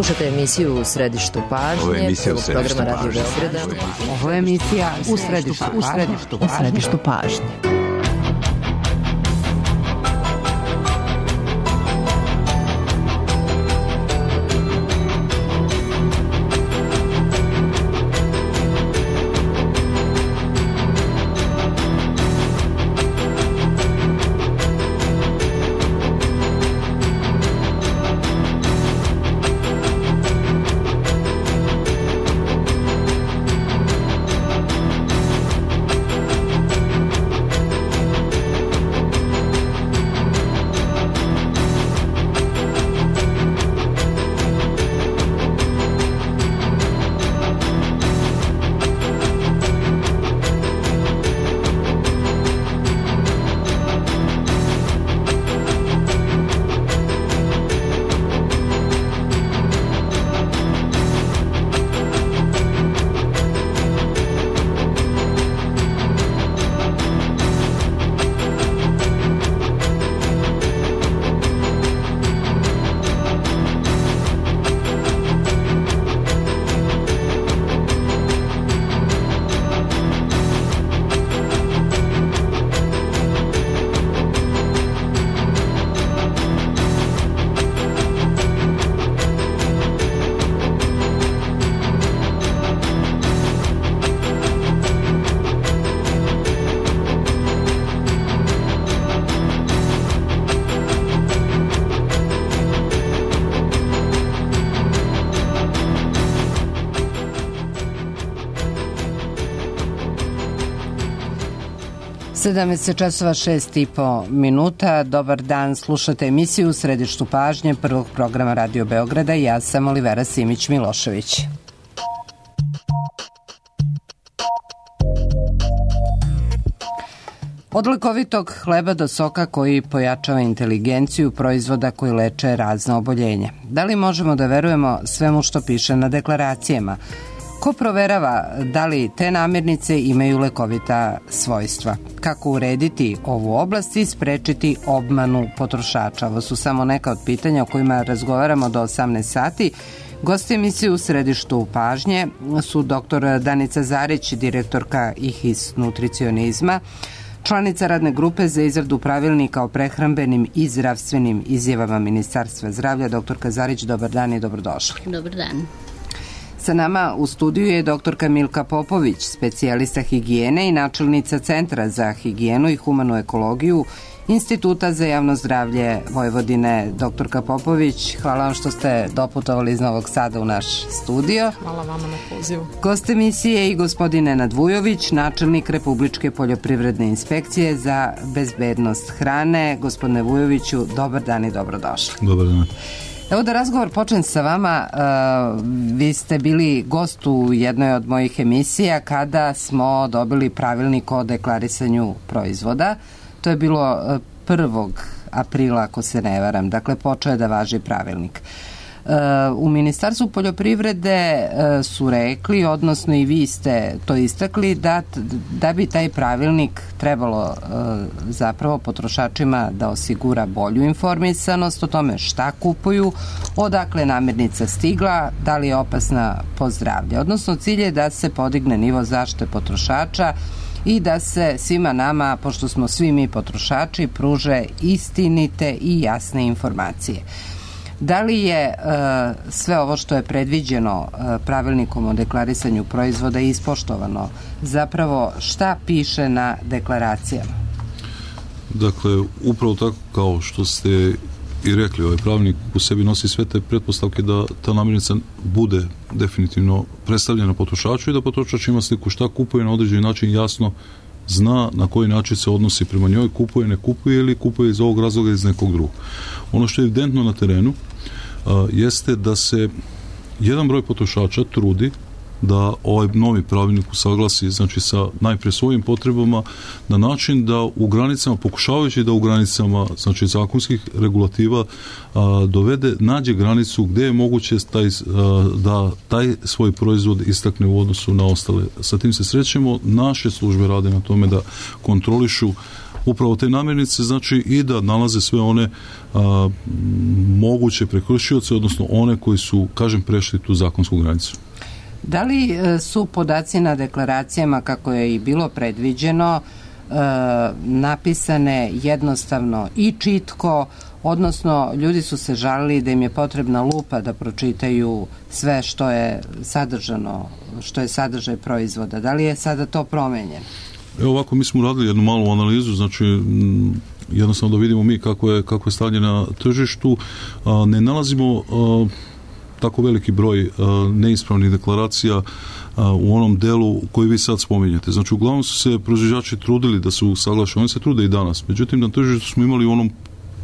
Slušate emisiju U središtu pažnje, programa Radio Beograda. Ovo je emisija U središtu pažnje. časova 6:30. Dobar dan, slušate emisiju U središtu pažnje prvog programa Radio Beograda. Ja sam Olivera Simić-Milošević. Od lekovitog hleba do soka koji pojačava inteligenciju, proizvoda koji leče razna oboljenja. Da li možemo da verujemo svemu što piše na deklaracijama? Ko proverava da li te namirnice imaju lekovita svojstva? Kako urediti ovu oblast i sprečiti obmanu potrošača? Ovo su samo neka od pitanja o kojima razgovaramo do 18 sati. Gosti emisije U središtu pažnje su dr. Danica Zarić, direktorka IHIS nutricionizma, članica radne grupe za izradu pravilnika o prehrambenim i zdravstvenim izjavama Ministarstva zdravlja. Doktorka Zarić, dobar dan i dobrodošli. Dobar dan. Sa nama u studiju je doktorka Milka Popović, specijalista higijene i načelnica Centra za higijenu i humanu ekologiju Instituta za javno zdravlje Vojvodine. Doktorka Popović, hvala vam što ste doputovali iz Novog Sada u naš studio. Hvala vama na pozivu. Gost emisije i gospodin Nenad Vujović, načelnik Republičke poljoprivredne inspekcije za bezbednost hrane. Gospodine Vujoviću, dobar dan i dobrodošli. Dobar dan. Evo da razgovor počnem sa vama. Vi ste bili gost u jednoj od mojih emisija kada smo dobili pravilnik o deklarisanju proizvoda. To je bilo 1. aprila, ako se ne varam. Dakle, počeo je da važi pravilnik. U Ministarstvu poljoprivrede su rekli, odnosno i vi ste to istakli, da bi taj pravilnik trebalo zapravo potrošačima da osigura bolju informisanost o tome šta kupuju, odakle namirnica stigla, da li je opasna po zdravlje. Odnosno, cilj je da se podigne nivo zaštite potrošača i da se svima nama, pošto smo svi mi potrošači, pruže istinite i jasne informacije. Da li je sve ovo što je predviđeno pravilnikom o deklarisanju proizvoda ispoštovano? Zapravo, šta piše na deklaracijama? Dakle, upravo tako kao što ste i rekli, ovaj pravilnik u sebi nosi sve te pretpostavke da ta namirnica bude definitivno predstavljena potrošaču i da potrošač ima sliku šta kupuje, na određeni način jasno zna na koji način se odnosi prema njoj, kupuje, ne kupuje ili kupuje iz ovog razloga ili iz nekog drugog. Ono što je evidentno na terenu jeste da se jedan broj potrošača trudi da ovaj novi pravilnik usaglasi, znači sa najprije svojim potrebama na način da u granicama, pokušavajući da u granicama, znači zakonskih regulativa nađe granicu gde je moguće da taj svoj proizvod istakne u odnosu na ostale. Sa tim se srećemo, naše službe rade na tome da kontrolišu upravo te namirnice, znači i da nalaze sve one moguće prekršioce, odnosno one koji su, kažem, prešli tu zakonsku granicu. Da li su podaci na deklaracijama, kako je i bilo predviđeno, napisane jednostavno i čitko, odnosno ljudi su se žalili da im je potrebna lupa da pročitaju sve što je sadržano, što je sadržaj proizvoda. Da li je sada to promenjeno? Evo ovako, mi smo uradili jednu malu analizu, znači jednostavno da vidimo mi kako je stanje na tržištu. Ne nalazimo tako veliki broj neispravnih deklaracija u onom delu koji vi sad spominjete. Znači, uglavnom su se proizvođači trudili da su usaglašeni, oni se trude i danas. Međutim, na tržištu smo imali u onom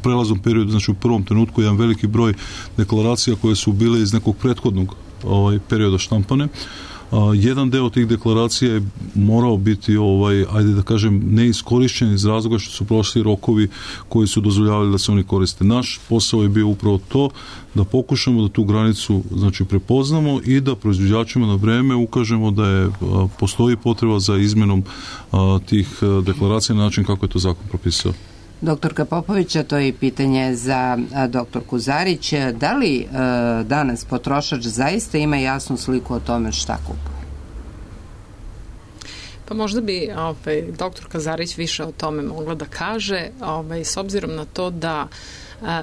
prelaznom periodu, znači u prvom trenutku, jedan veliki broj deklaracija koje su bile iz nekog prethodnog perioda štampane. Jedan deo tih deklaracija je morao biti, ajde da kažem, neiskorišćen iz razloga što su prošli rokovi koji su dozvoljavali da se oni koriste. Naš posao je bio upravo to, da pokušamo da tu granicu, znači, prepoznamo i da proizvođačima na vreme ukažemo da postoji potreba za izmenom tih deklaracija na način kako je to zakon propisao. Doktorka Popovića, to je i pitanje za doktorku Zarić. Da li danas potrošač zaista ima jasnu sliku o tome šta kupuje? Pa možda bi doktorka Zarić više o tome mogla da kaže, s obzirom na to da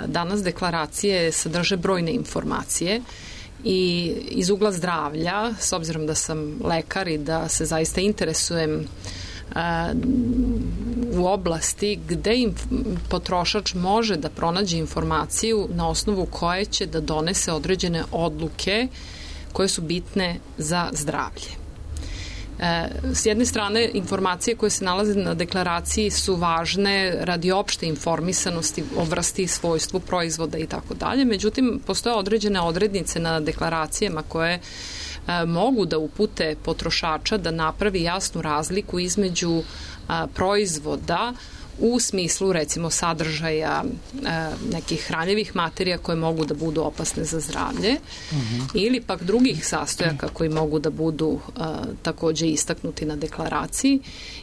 danas deklaracije sadrže brojne informacije i iz ugla zdravlja, s obzirom da sam lekar i da se zaista interesujem u oblasti gde potrošač može da pronađe informaciju na osnovu koje će da donese određene odluke koje su bitne za zdravlje. S jedne strane, informacije koje se nalaze na deklaraciji su važne radi opšte informisanosti o vrsti i svojstvu proizvoda i tako dalje, međutim, postoje određene odrednice na deklaracijama koje mogu da upute potrošača da napravi jasnu razliku između proizvoda u smislu, recimo, sadržaja nekih hranjivih materija koje mogu da budu opasne za zdravlje ili pak drugih sastojaka koji mogu da budu takođe istaknuti na deklaraciji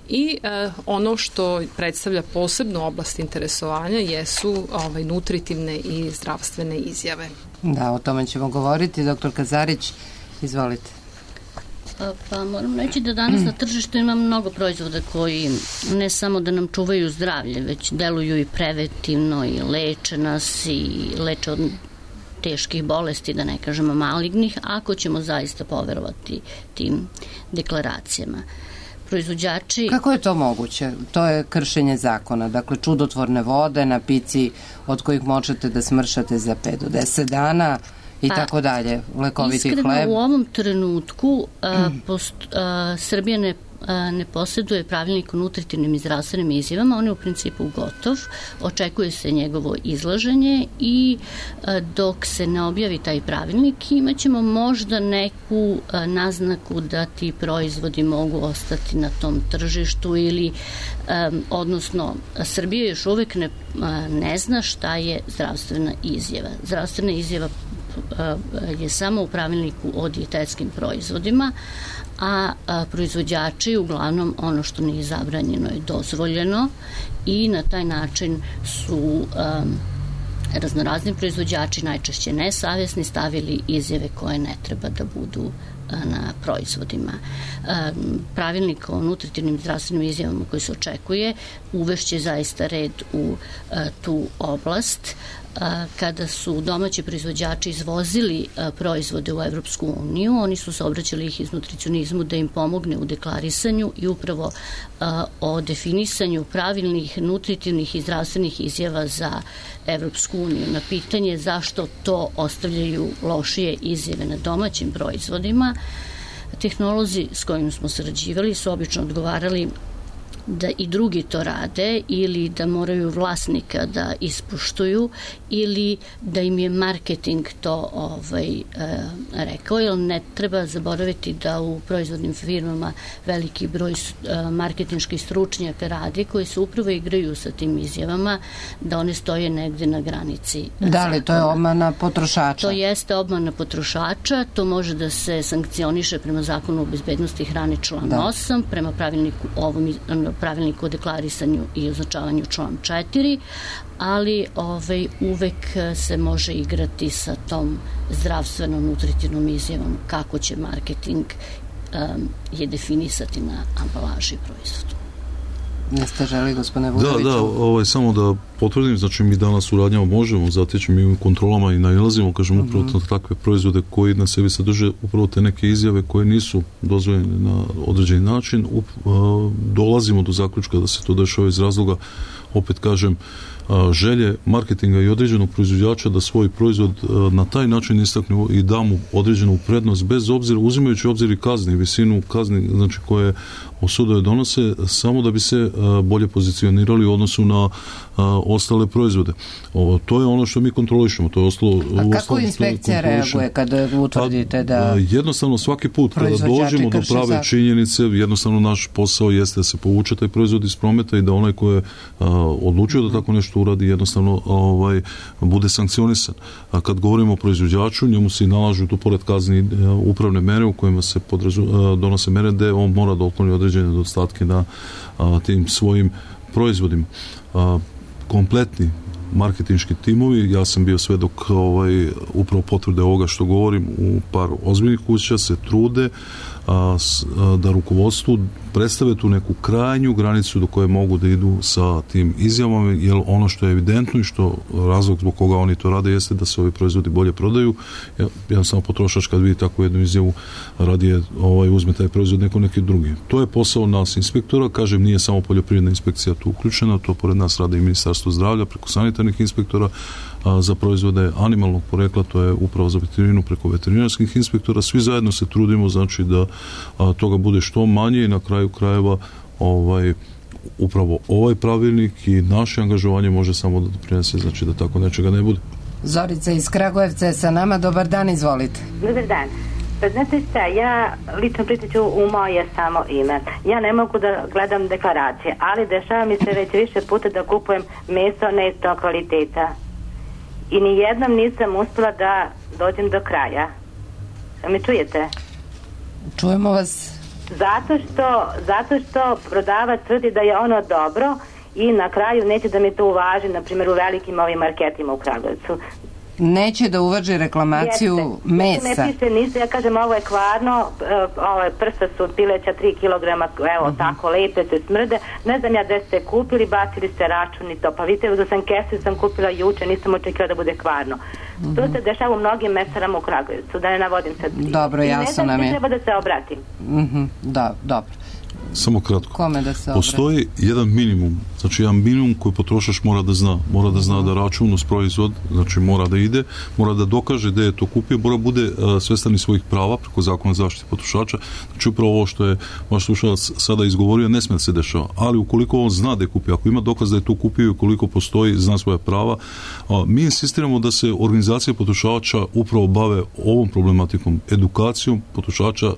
i ono što predstavlja posebnu oblast interesovanja jesu nutritivne i zdravstvene izjave. Da, o tome ćemo govoriti. Doktorka Zarić, izvolite. Pa moram reći da danas na tržištu ima mnogo proizvoda koji ne samo da nam čuvaju zdravlje, već deluju i preventivno i leče nas i leče od teških bolesti, da ne kažemo malignih, ako ćemo zaista poverovati tim deklaracijama. Proizvođači... Kako je to moguće? To je kršenje zakona. Dakle, čudotvorne vode na pici od kojih možete da smršate za 5 do 10 dana i tako dalje, lekoviti hleb. Iskreno, u ovom trenutku Srbija ne posjeduje pravilnik o nutritivnim i zdravstvenim izjavama, on je u principu gotov, očekuje se njegovo izlaženje i dok se ne objavi taj pravilnik imaćemo možda neku naznaku da ti proizvodi mogu ostati na tom tržištu ili odnosno Srbija još uvek ne zna šta je zdravstvena izjava. Zdravstvena izjava je samo u pravilniku o dijetetskim proizvodima, a proizvođači uglavnom ono što nije zabranjeno je dozvoljeno i na taj način su raznorazni proizvođači, najčešće nesavjesni, stavili izjave koje ne treba da budu na proizvodima. Pravilnik o nutritivnim zdravstvenim izjavama koji se očekuje uvešće zaista red u tu oblast. Kada su domaći proizvođači izvozili proizvode u Evropsku uniju, oni su se obraćali ih iz nutricionizmu da im pomogne u deklarisanju i upravo o definisanju pravilnih nutritivnih i zdravstvenih izjava za Evropsku uniju. Na pitanje zašto to ostavljaju lošije izjave na domaćim proizvodima, tehnolozi s kojim smo sarađivali su obično odgovarali da i drugi to rade ili da moraju vlasnika da ispuštuju ili da im je marketing to rekao, jer ne treba zaboraviti da u proizvodnim firmama veliki broj marketinških stručnjaka radi koji se upravo igraju sa tim izjavama da one stoje negde na granici. Da li to je obmana potrošača? To jeste obmana potrošača, to može da se sankcioniše prema zakonu o bezbednosti hrane član 8, prema pravilniku pravilnik o deklarisanju i označavanju član 4, ali uvek se može igrati sa tom zdravstveno-nutritivnom izjavom kako će marketing je definisati na ambalaži proizvodu. Neste želi, gospodine Vujoviću? Da, samo da potvrdim, znači mi danas u radnjama možemo zateći, mi u kontrolama i nailazimo, kažemo upravo na takve proizvode koji na sebi sadrže upravo te neke izjave koje nisu dozvoljene na određeni način. Dolazimo do zaključka da se to dešava iz razloga, opet kažem, želje marketinga i određenog proizvođača da svoj proizvod na taj način istakne i da mu određenu prednost, bez obzira, uzimajući obzir i kazni, visinu kazni, znači koje sudove donose, samo da bi se bolje pozicionirali u odnosu na ostale proizvode. To je ono što mi kontrolišemo. To je ostalo. A kako inspekcija reaguje kada utvrdite da jednostavno svaki put kada dođemo do prave činjenice, jednostavno naš posao jeste da se povuče taj proizvod iz prometa i da onaj ko je odlučio da tako nešto uradi, jednostavno bude sankcionisan. A kad govorimo o proizvođaču, njemu se nalažu tu pored kazni upravne mere u kojima se donose mere gde on mora da otkloni određene nedostatke na tim svojim proizvodima. Kompletni marketinški timovi, ja sam bio svedok upravo potvrde ovoga što govorim, u par ozbiljnih kuća se trude da rukovodstvu predstave tu neku krajnju granicu do koje mogu da idu sa tim izjavama, jer ono što je evidentno i što razlog zbog koga oni to rade jeste da se ovi proizvodi bolje prodaju. Ja sam potrošač kad vidi takvu jednu izjavu, radije uzme taj proizvod neki drugi. To je posao nas inspektora, kažem, nije samo poljoprivredna inspekcija tu uključena, to pored nas rade i Ministarstvo zdravlja preko sanitarnih inspektora, za proizvode animalnog porekla, to je upravo za veterinu preko veterinarskih inspektora. Svi zajedno se trudimo, znači da toga bude što manje i na kraju krajeva upravo ovaj pravilnik i naše angažovanje može samo da doprinese, znači da tako nečega ne bude. Zorica iz Kragujevca je sa nama. Dobar dan, izvolite. Dobar dan. Pa znate šta, ja lično pričat ću u moje samo ime. Ja ne mogu da gledam deklaracije, ali dešava mi se već više puta da kupujem meso neistog kvaliteta. I nijednom nisam uspela da dođem do kraja. Me čujete? Čujemo vas. Zato što prodavac tvrdi da je ono dobro i na kraju neće da mi to uvaži, na primjer u velikim ovim marketima u Kragujevcu. Neće da uvaži reklamaciju mesa. Ne piše ništa, ja kažem ovo je kvarno, prsa su pileća 3 kilograma, evo tako lepe se smrde, ne znam ja gde ste kupili, bacili ste račun i to, pa vidite da sam kesu sam kupila juče, nisam očekila da bude kvarno. To se dešava u mnogim mesarama u Kragujevcu, da ne navodim sad. Dobro, jasno nam je. Ne znam, treba da se obratim. Da, dobro. Samo kratko. Kome da se postoji jedan minimum, znači jedan minimum koji potrošač mora da zna da račun uz proizvod, znači mora da ide, mora da dokaže da je to kupio, mora bude svestan svojih prava preko zakona zaštite potrošača. Znači upravo ovo što je vaš slušalac sada izgovorio, ne sme da se dešava, ali ukoliko on zna da je kupio, ako ima dokaz da je to kupio i ukoliko postoji, zna svoja prava, mi insistiramo da se organizacije potrošača upravo bave ovom problematikom, edukacijom potrošača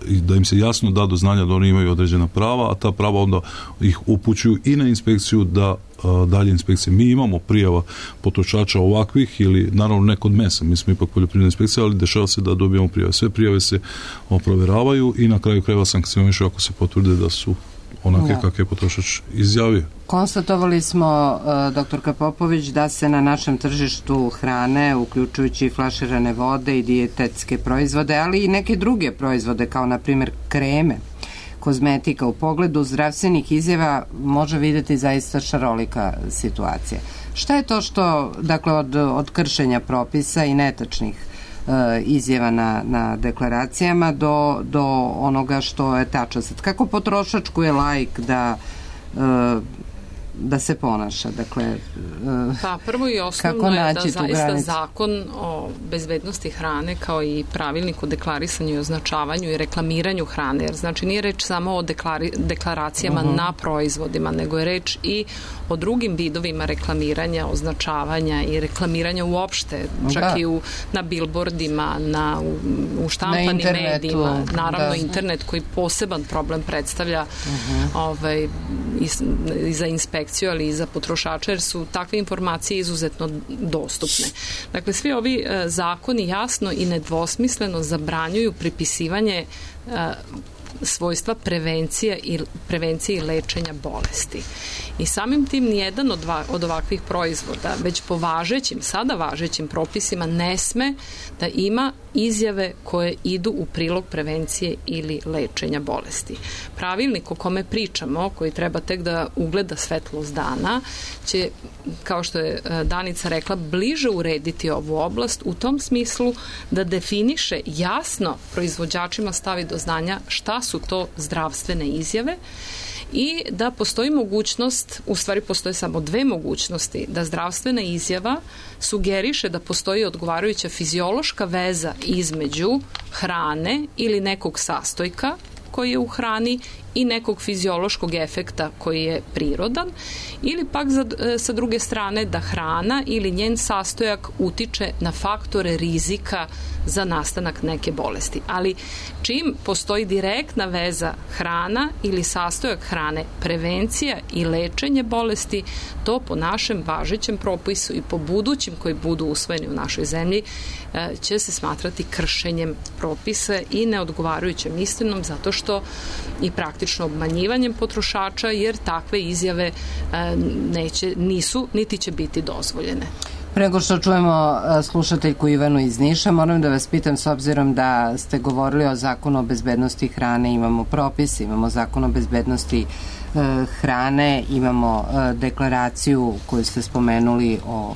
i da im se jasno da do znanja da oni imaju određena prava, a ta prava onda ih upućuju i na inspekciju da dalje inspekcije. Mi imamo prijava potrošača ovakvih ili naravno ne kod mesa, mi smo ipak poljoprivredna inspekcija, ali dešava se da dobijamo prijave. Sve prijave se provjeravaju i na kraju krajeva sankcionišu ako se potvrde da su onake kakve je potrošač izjavio. Konstatovali smo, doktorka Popović, da se na našem tržištu hrane, uključujući flaširane vode i dijetetske proizvode, ali i neke druge proizvode, kao na primjer kreme, kozmetika, u pogledu zdravstvenih izjava može vidjeti zaista šarolika situacija. Šta je to što, dakle, od kršenja propisa i netačnih izjava na deklaracijama do onoga što je tačno? Kako potrošač koji je laik da se ponaša? Dakle, pa prvo i osnovno je da zaista zakon o bezbednosti hrane kao i pravilnik o deklarisanju i označavanju i reklamiranju hrane, jer znači nije reč samo o deklaracijama na proizvodima, nego je reč i o drugim vidovima reklamiranja, označavanja i reklamiranja uopšte, čak i na bilbordima, u štampanim medijima, naravno internet koji poseban problem predstavlja i za inspekciju, ali i za potrošača, jer su takve informacije izuzetno dostupne. Dakle, svi ovi zakoni jasno i nedvosmisleno zabranjuju pripisivanje svojstva prevencije i lečenja bolesti. I samim tim nijedan od ovakvih proizvoda, već po sada važećim propisima, ne sme da ima izjave koje idu u prilog prevencije ili lečenja bolesti. Pravilnik o kome pričamo, koji treba tek da ugleda svetlost dana, će, kao što je Danica rekla, bliže urediti ovu oblast u tom smislu da definiše jasno, proizvođačima stavi do znanja šta su to zdravstvene izjave i da postoji mogućnost, u stvari postoje samo dve mogućnosti, da zdravstvena izjava sugeriše da postoji odgovarajuća fiziološka veza između hrane ili nekog sastojka koji je u hrani i nekog fiziološkog efekta koji je prirodan, ili pak sa druge strane da hrana ili njen sastojak utiče na faktore rizika za nastanak neke bolesti. Ali čim postoji direktna veza hrana ili sastojak hrane, prevencija i lečenje bolesti, to po našem važećem propisu i po budućim koji budu usvojeni u našoj zemlji će se smatrati kršenjem propisa i neodgovarajućem istinom, zato što i praktično obmanjivanjem potrošača, jer takve izjave nisu niti će biti dozvoljene. Pre nego što čujemo slušateljku Ivanu iz Niša, moram da vas pitam, s obzirom da ste govorili o zakonu o bezbednosti hrane, imamo propis, imamo zakon o bezbednosti hrane, imamo deklaraciju koju ste spomenuli o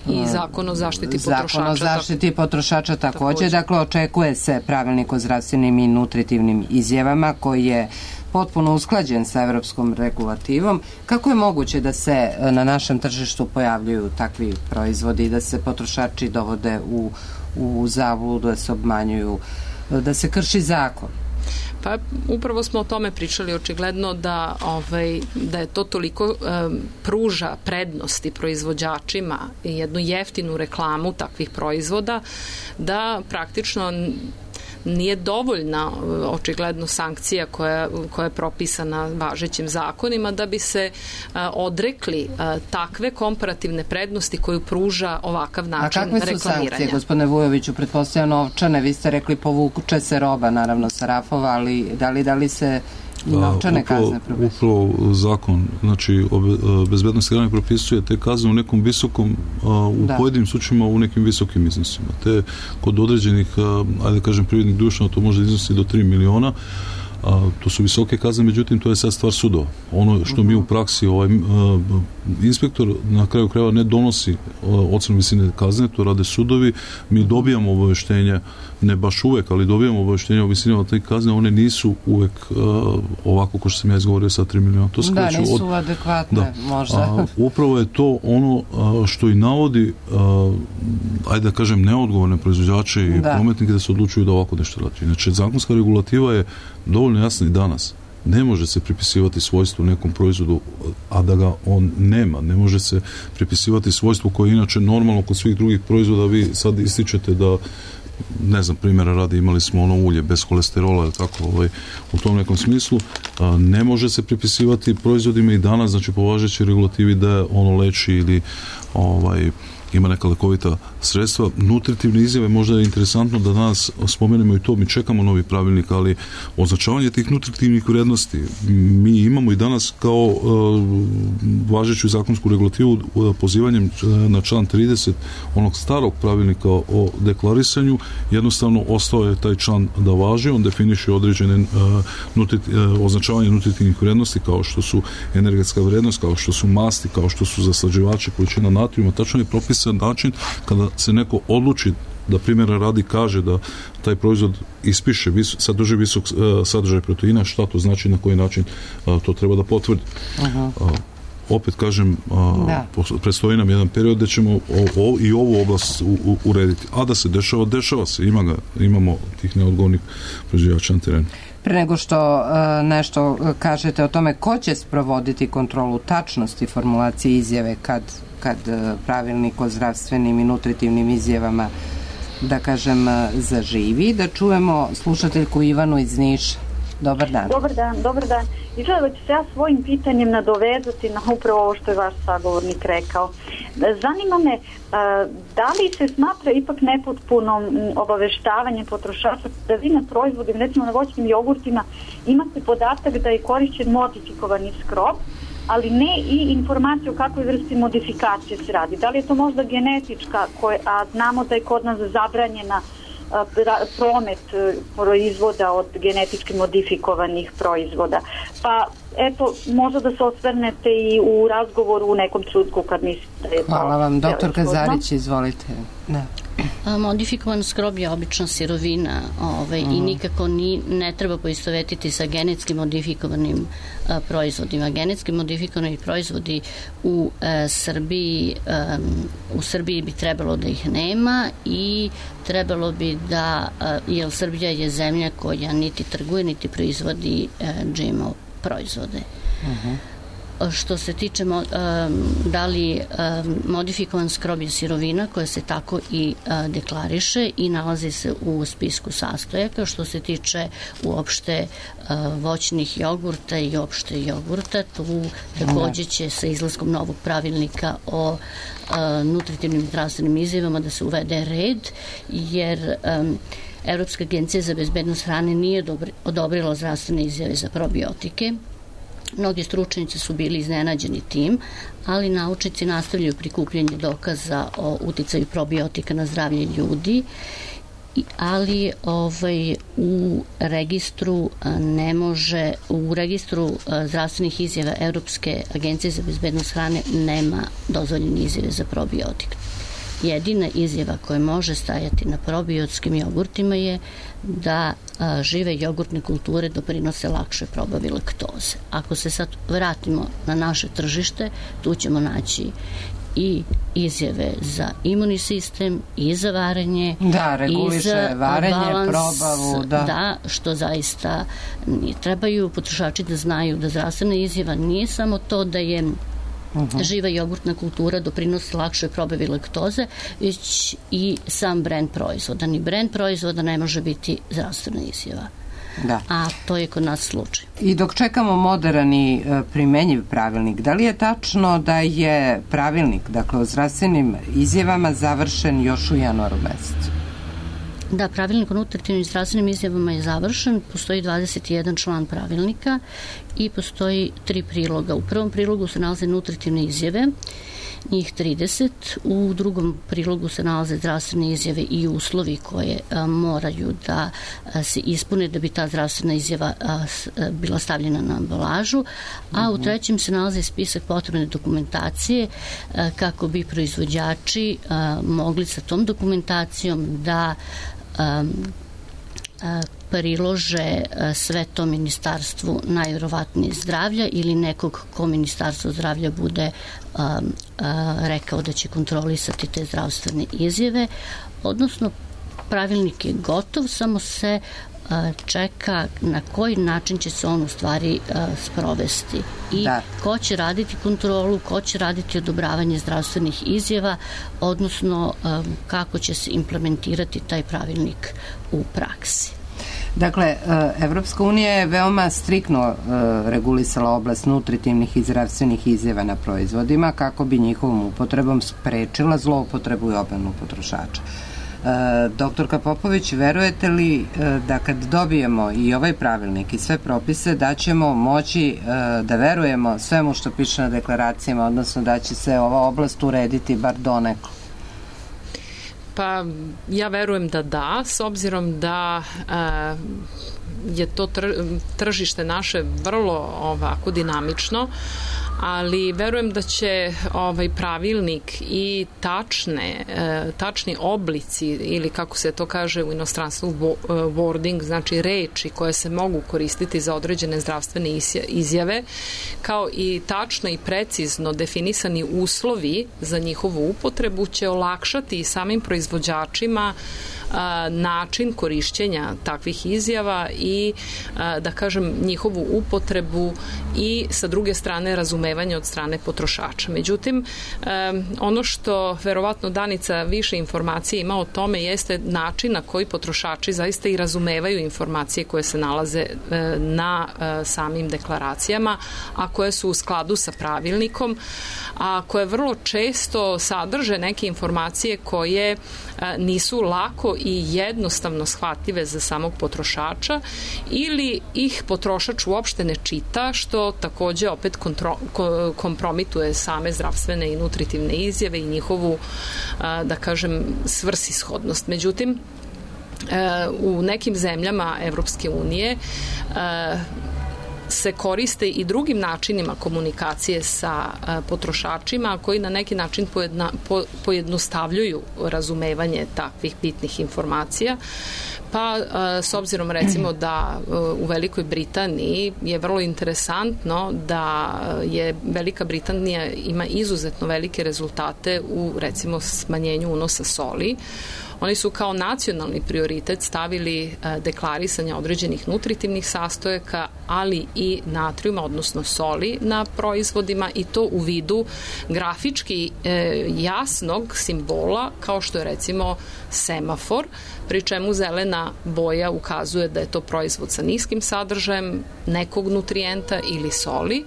i zakon o zaštiti potrošača. Zakon o zaštiti potrošača takođe. Dakle, očekuje se pravilnik o zdravstvenim i nutritivnim izjavama koji je potpuno usklađen sa evropskom regulativom. Kako je moguće da se na našem tržištu pojavljuju takvi proizvodi i da se potrošači dovode u zabludu, da se obmanjuju, da se krši zakon? Pa upravo smo o tome pričali, očigledno da je to toliko pruža prednosti proizvođačima i jednu jeftinu reklamu takvih proizvoda da praktično nije dovoljna očigledno sankcija koja je propisana važećim zakonima da bi se odrekli takve komparativne prednosti koju pruža ovakav način reklamiranja. A kakve su sankcije, gospodine Vujoviću? Pretpostavljam novčane, vi ste rekli povuče se roba naravno sa rafova, ali da li se i novčane kazne propisuju? Upravo zakon, znači o bezbednosti hrane propisuje te kazne u nekom visokom, u pojedinim slučajima u nekim visokim iznosima. Te kod određenih, ajde kažem, privrednih društava to može iznositi do 3 miliona. To su visoke kazne, međutim to je sad stvar sudova. Ono što mi u praksi inspektor na kraju krajeva ne donosi ocenu visine kazne, to rade sudovi, mi dobijamo obaveštenje, ne baš uvek, ali dobijamo obaveštenje o visinama te kazne, one nisu uvek ovako ko što sam ja izgovorio sa 3 miliona. To da, nisu adekvatne možda. Upravo je to ono što i navodi, ajde da kažem, neodgovorne proizvođače i prometnike da se odlučuju da ovako nešto radi. Znači, zakonska regulativa je dovoljno jasna i danas. Ne može se pripisivati svojstvo nekom proizvodu, a da ga on nema. Ne može se pripisivati svojstvo koje je inače normalno kod svih drugih proizvoda. Vi sad ističete da, ne znam, primjera radi, imali smo ono ulje bez kolesterola, tako, u tom nekom smislu. Ne može se pripisivati proizvodima i danas, znači po važećoj regulativi da ono leči ili ima neka lekovita sredstva. Nutritivne izjave, možda je interesantno da danas spomenemo i to, mi čekamo novi pravilnik, ali označavanje tih nutritivnih vrednosti mi imamo i danas kao važeću zakonsku regulativu pozivanjem na član 30 onog starog pravilnika o deklarisanju, jednostavno ostao je taj član da važi, on definiše određene označavanje nutritivnih vrednosti kao što su energetska vrednost, kao što su masti, kao što su zaslađivači, količina natrijuma, tačno je propisan način kada se neko odluči da primjera radi kaže da taj proizvod ispiše sadrži visok sadržaj proteina, šta to znači, na koji način to treba da potvrdi. Opet kažem, predstoji nam jedan period da ćemo i ovu oblast urediti. A da se dešava se, imamo tih neodgovornih proizvođača na terenu. Pre nego što nešto kažete o tome ko će sprovoditi kontrolu tačnosti formulacije izjave kad pravilnik o zdravstvenim i nutritivnim izjavama, da kažem, zaživi, da čujemo slušateljku Ivanu iz Niša. Dobar dan. Dobar dan. I želim da ću se ja svojim pitanjem nadovezati na upravo ovo što je vaš sagovornik rekao. Zanima me da li se smatra ipak nepotpunom obaveštavanje potrošača da vi na proizvodima, recimo na voćnim jogurtima, imate podatak da je korišćen modifikovani skrob, ali ne i informaciju o kakvoj vrsti modifikacije se radi. Da li je to možda genetička, a znamo da je kod nas zabranjena promet proizvoda od genetički modifikovanih proizvoda. Pa eto, možda da se osvrnete i u razgovoru u nekom trenutku kad mislite da je to... Hvala vam, doktorka Zarić, izvolite. Da. Modifikovan skrob je obična sirovina i nikako ne treba poistovetiti sa genetski modifikovanim proizvodima. Genetski modifikovani proizvodi u Srbiji bi trebalo da ih nema i trebalo bi da, jer Srbija je zemlja koja niti trguje, niti proizvodi GMO proizvode. Što se tiče da li modifikovan skrob je sirovina koja se tako i deklariše i nalazi se u spisku sastojaka. Što se tiče uopšte voćnih jogurta i opšte jogurta, tu takođe će sa izlaskom novog pravilnika o nutritivnim i zdravstvenim izjavama da se uvede red, jer Evropska agencija za bezbednost hrane nije odobrila zdravstvene izjave za probiotike. Mnogi stručnjaci su bili iznenađeni tim, ali naučnici nastavljaju prikupljanje dokaza o uticaju probiotika na zdravlje ljudi, ali u registru u registru zdravstvenih izjava Evropske agencije za bezbednost hrane nema dozvoljene izjave za probiotik. Jedina izjava koja može stajati na probiotskim jogurtima je da žive jogurtne kulture doprinose lakše probavi laktoze. Ako se sad vratimo na naše tržište, tu ćemo naći i izjave za imunni sistem i za varenje, reguliše i za varenje, balans, probavu, da, što zaista trebaju potrošači da znaju da zdravstvena izjava nije samo to da je živa jogurtna kultura doprinosi lakšoj probavi laktoze, već i sam brend proizvoda. Ni brend proizvoda ne može biti zdravstvena izjava. Da. A to je kod nas slučaj. I dok čekamo moderan i primenjiv pravilnik, da li je tačno da je pravilnik, dakle o zdravstvenim izjavama, završen još u januaru mesecu? Da, pravilnik o nutritivnim i zdravstvenim izjavama je završen, postoji 21 član pravilnika i postoji 3 priloga. U prvom prilogu se nalaze nutritivne izjave, njih 30, u drugom prilogu se nalaze zdravstvene izjave i uslovi koje moraju da se ispune da bi ta zdravstvena izjava bila stavljena na ambalažu, a u trećem se nalaze spisak potrebne dokumentacije kako bi proizvođači mogli sa tom dokumentacijom da prilože sve to ministarstvu najverovatnije zdravlja ili nekog ko ministarstvo zdravlja bude rekao da će kontrolisati te zdravstvene izjave, odnosno pravilnik je gotov, samo se čeka na koji način će se on u stvari sprovesti i ko će raditi kontrolu, ko će raditi odobravanje zdravstvenih izjava, odnosno kako će se implementirati taj pravilnik u praksi. Dakle, Evropska unija je veoma striktno regulisala oblast nutritivnih i zdravstvenih izjava na proizvodima kako bi njihovom upotrebom sprečila zloupotrebu i obmanu potrošača. Doktorka Popović, verujete li da kad dobijemo i ovaj pravilnik i sve propise da ćemo moći da verujemo svemu što piše na deklaracijama, odnosno da će se ova oblast urediti bar donekle? Pa ja verujem da, s obzirom da je to tržište naše vrlo ovako dinamično, ali verujem da će ovaj pravilnik i tačni oblici ili kako se to kaže u inostranstvu wording, znači reči koje se mogu koristiti za određene zdravstvene izjave, kao i tačno i precizno definisani uslovi za njihovu upotrebu će olakšati i samim proizvođačima način korišćenja takvih izjava i da kažem njihovu upotrebu i sa druge strane razumevanje razumevanja od strane potrošača. Međutim, ono što verovatno Danica više informacije ima o tome jeste način na koji potrošači zaista i razumevaju informacije koje se nalaze na samim deklaracijama, a koje su u skladu sa pravilnikom, a koje vrlo često sadrže neke informacije koje nisu lako i jednostavno shvatljive za samog potrošača ili ih potrošač uopšte ne čita, što takođe opet kompromituje same zdravstvene i nutritivne izjave i njihovu, da kažem, svrsishodnost. Međutim, u nekim zemljama Evropske unije se koriste i drugim načinima komunikacije sa potrošačima koji na neki način pojednostavljuju razumevanje takvih bitnih informacija. Pa s obzirom recimo da u Velikoj Britaniji je vrlo interesantno da je Velika Britanija ima izuzetno velike rezultate u recimo smanjenju unosa soli. Oni su kao nacionalni prioritet stavili deklarisanje određenih nutritivnih sastojaka, ali i natrijuma, odnosno soli na proizvodima i to u vidu grafički jasnog simbola kao što je recimo semafor, pri čemu zelena boja ukazuje da je to proizvod sa niskim sadržajem nekog nutrijenta ili soli,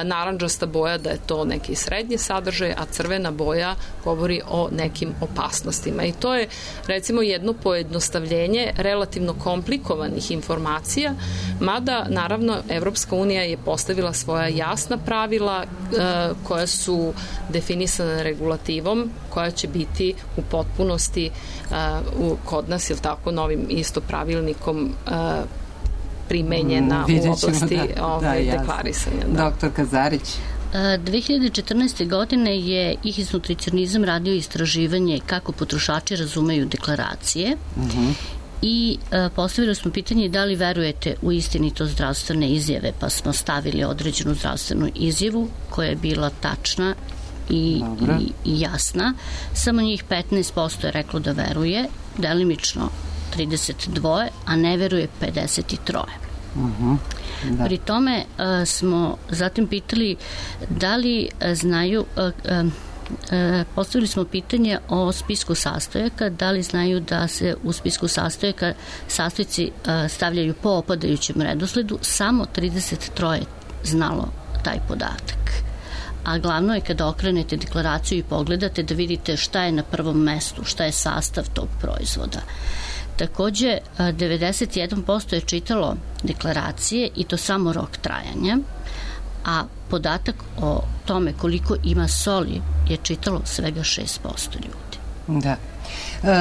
narandžasta boja da je to neki srednji sadržaj, a crvena boja govori o nekim opasnostima. I to je recimo jedno pojednostavljenje relativno komplikovanih informacija, mada naravno Evropska unija je postavila svoja jasna pravila koja su definisana regulativom, koja će biti u potpunosti kod nas, ili tako, novim isto pravilnikom primenjena u oblasti deklarisanja. Doktor Kazarić. 2014. godine je IHIS Nutricionizam radio istraživanje kako potrošači razumeju deklaracije i postavili smo pitanje da li verujete u istinitost zdravstvene izjave, pa smo stavili određenu zdravstvenu izjavu koja je bila tačna i jasna. Samo njih 15% je reklo da veruje, delimično 32, a ne veruje 53. Pri tome smo zatim pitali da li znaju, postavili smo pitanje o spisku sastojaka, da li znaju da se u spisku sastojaka sastojci stavljaju po opadajućem redosledu. Samo 33 znalo taj podatak. A glavno je kada okrenete deklaraciju i pogledate da vidite šta je na prvom mestu, šta je sastav tog proizvoda. Takođe, 91% je čitalo deklaracije i to samo rok trajanja, a podatak o tome koliko ima soli je čitalo svega 6% ljudi. Da.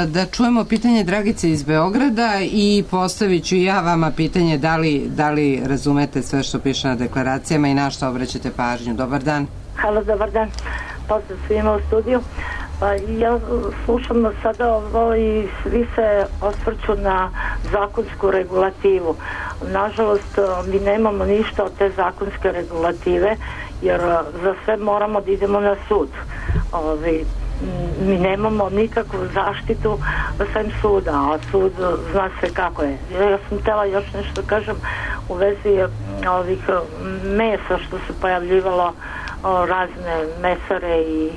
Da čujemo pitanje Dragice iz Beograda i postavit ću ja vama pitanje da li razumete sve što piše na deklaracijama i na što obraćate pažnju. Dobar dan. Halo, dobar dan. Pozdrav svima u studiju. Ja slušam sada ovo i svi se osvrću na zakonsku regulativu. Nažalost, mi nemamo ništa od te zakonske regulative, jer za sve moramo da idemo na sud. Mi nemamo nikakvu zaštitu sem suda, a sud zna se kako je. Ja sam htela još nešto kažem u vezi ovih mesa što se pojavljivalo, razne mesare i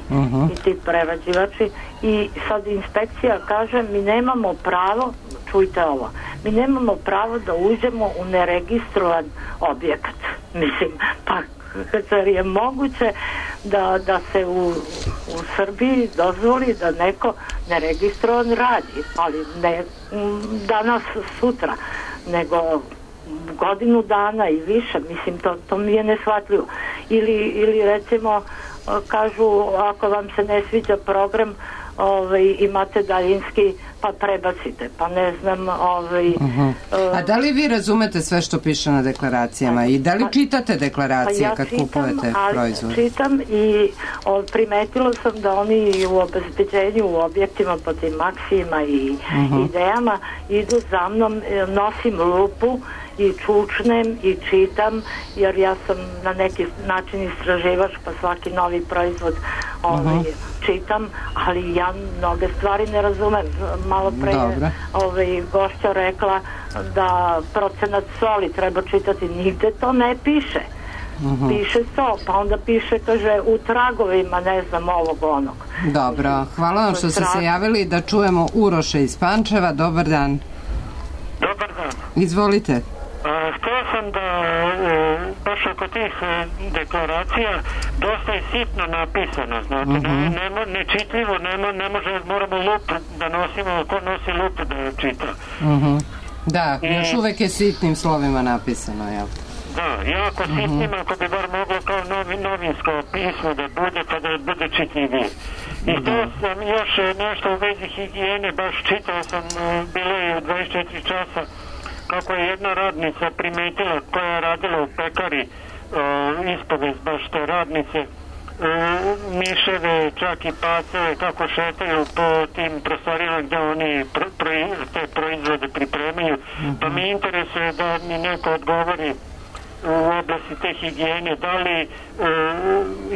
ti prerađivači, i sad inspekcija kaže mi nemamo pravo, čujte ovo, mi nemamo pravo da uđemo u neregistrovan objekat. Mislim, pa zar je moguće da se u Srbiji dozvoli da neko neregistrovan radi, ali ne danas, sutra, nego godinu dana i više. Mislim, to mi je neshvatljivo. Ili recimo kažu, ako vam se ne sviđa program, imate daljinski, pa prebacite, pa ne znam. A da li vi razumete sve što piše na deklaracijama i da li čitate deklaracije kad kupujete proizvod? Čitam i primetila sam da oni u obezbeđenju u objektima po tim Maksijima i Idejama idu za mnom, nosim lupu i čučnem i čitam, jer ja sam na neki način istraživač, pa svaki novi proizvod čitam, ali ja mnoge stvari ne razumem. Malo pre gošća rekla da procenat soli treba čitati, nigde to ne piše. piše to, pa onda piše, kaže, u tragovima, ne znam, ovog onog. Dobro, hvala vam što ste se javili, da čujemo Uroša iz Pančeva. Dobar dan. Dobar dan. Izvolite. Htio sam da baš oko tih deklaracija dosta je sitno napisano, znate, nečitljivo, ne može, moramo lupu da nosimo, ko nosi lupu da je čita. Da, još uvek je sitnim slovima napisano, jel? Da, jako sitnim, ako bi bar moglo kao novinsko pismo da bude, pa da bude čitljivije. I to sam još nešto u vezi higijene, baš čitao sam, bilo je u 24 časa, kako je jedna radnica primetila koja je radila u pekari, ispovest baš te radnice, miševe, čak i paceve, kako šetaju po tim prostorijama gde oni te proizvode pripremaju. Pa mi interesuje da mi neko odgovori u oblasti te higijene, da li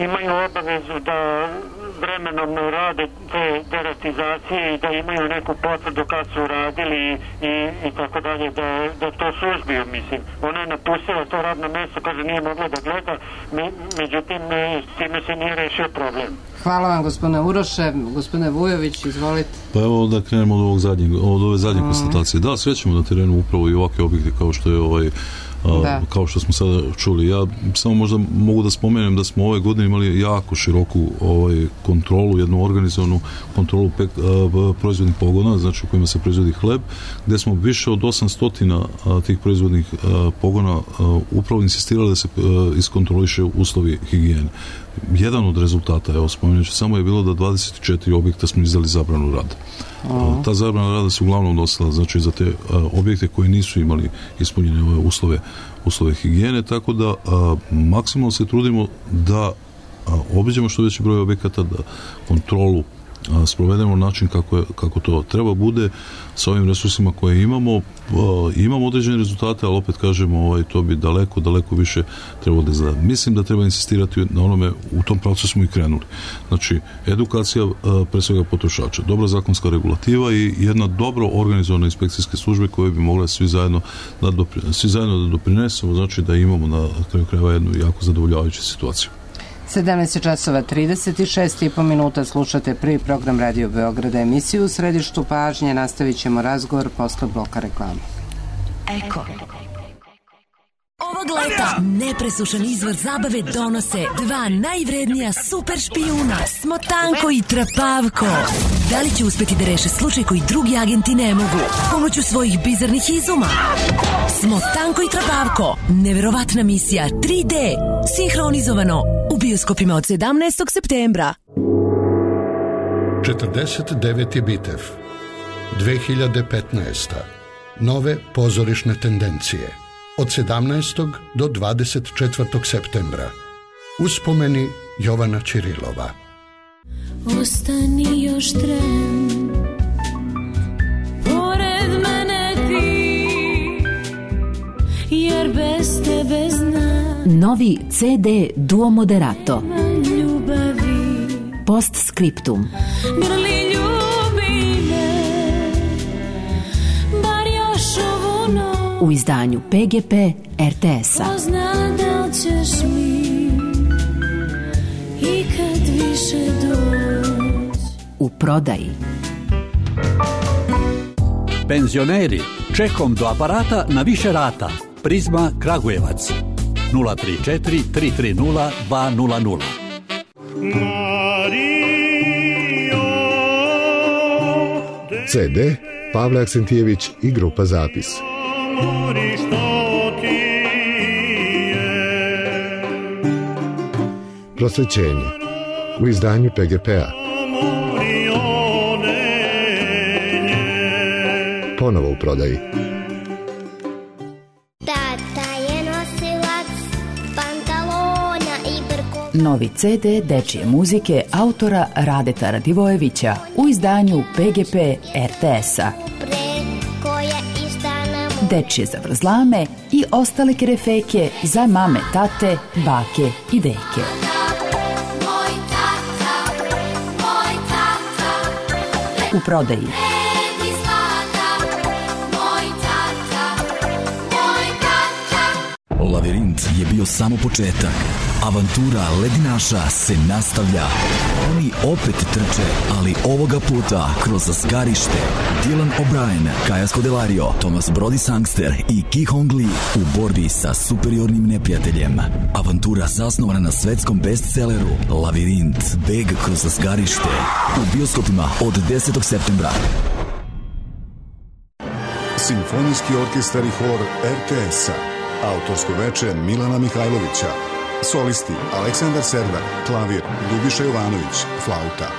imaju obavezu da vremenom rade te deratizacije i da imaju neku potvrdu kad su radili i tako dalje, da to suzbiju, mislim. Ona je napustila to radno mesto, kaže nije mogla da gleda, međutim s time se nije rešio problem. Hvala vam, gospodine Uroše. Gospodine Vujović, izvolite. Pa evo da krenemo od ove zadnje konstatacije. Da, srećemo na terenu upravo i ovakve objekte kao što je kao što smo sada čuli. Ja samo možda mogu da spomenem da smo ove godine imali jako široku kontrolu, jednu organizovanu kontrolu proizvodnih pogona, znači u kojima se proizvodi hleb, gde smo više od 800 tih proizvodnih pogona upravo insistirali da se iskontroliše uslovi higijene. Jedan od rezultata, evo spomenuću, samo je bilo da 24 objekta smo izdali zabranu rada. Ta zabrana rada se uglavnom dostala, znači za te objekte koji nisu imali ispunjene ove uslove higijene, tako da maksimalno se trudimo da obiđemo što veći broj objekata, da kontrolu sprovedemo na način kako to treba bude sa ovim resursima koje imamo. Imamo određene rezultate, ali opet kažemo to bi daleko više trebalo da izgleda. Mislim da treba insistirati na onome, u tom pravcu smo i krenuli. Znači, edukacija pre svega potrošača, dobra zakonska regulativa i jedna dobro organizovana inspekcijske službe koje bi mogle svi zajedno da doprinesemo, znači da imamo na kraju krajeva jednu jako zadovoljavajuću situaciju. 17 časova 36,5 minuta, slušate prvi program Radio Beograda, emisiju u središtu pažnje. Nastavit ćemo razgovor posle bloka reklame. Eko. Ovog leta nepresušan izvor zabave donose dva najvrednija super špijuna, Smotanko i Trapavko. Da li će uspeti da reše slučaj koji drugi agenti ne mogu? Pomoću svojih bizarnih izuma. Smotanko i Trapavko. Neverovatna misija 3D. Sinhronizovano u bioskopima od 17. septembra. 49. Bitev 2015. Nove pozorišne tendencije od 17. do 24. septembra. Uspomeni Jovana Ćirilova. Ostani još tren, pored mene ti, jer bez tebe znam. Novi CD Duo Moderato. Ljubavi. Postscriptum. Grli ljubi me, bar još ovu noć. U izdanju PGP RTS-a. Pozna da ćeš mi ikad više doći. U prodaji. Penzioneri, čekom do aparata na više rata. Prizma Kragujevac 034 330 200. CD Pavle Aksentijević i grupa Zapis. Prosvećenje u izdanju PGP-a. Ponovo u prodaji. Tata je nosilac pantalona i brko. Novi CD dečije muzike autora Radeta Radivojevića u izdanju PGP RTS-a. Dečije zavrzlame i ostale kerefeke za mame, tate, bake i deke. U prodaji. Lavirint je bio samo početak. Avantura ledinaša se nastavlja. Oni opet trče, ali ovoga puta kroz zgarište. Dylan O'Brien, Kaja Scodelario, Thomas Brody Sangster i Ki Hong Lee u borbi sa superiornim neprijateljem. Avantura zasnovana na svetskom bestselleru Lavirint, beg kroz zgarište. U bioskopima od 10. septembra. Simfonijski orkestar i hor RTS-a. Autorsko veče Milana Mihajlovića. Solisti Aleksandar Serdar, klavir Ljubiša Jovanović, flauta.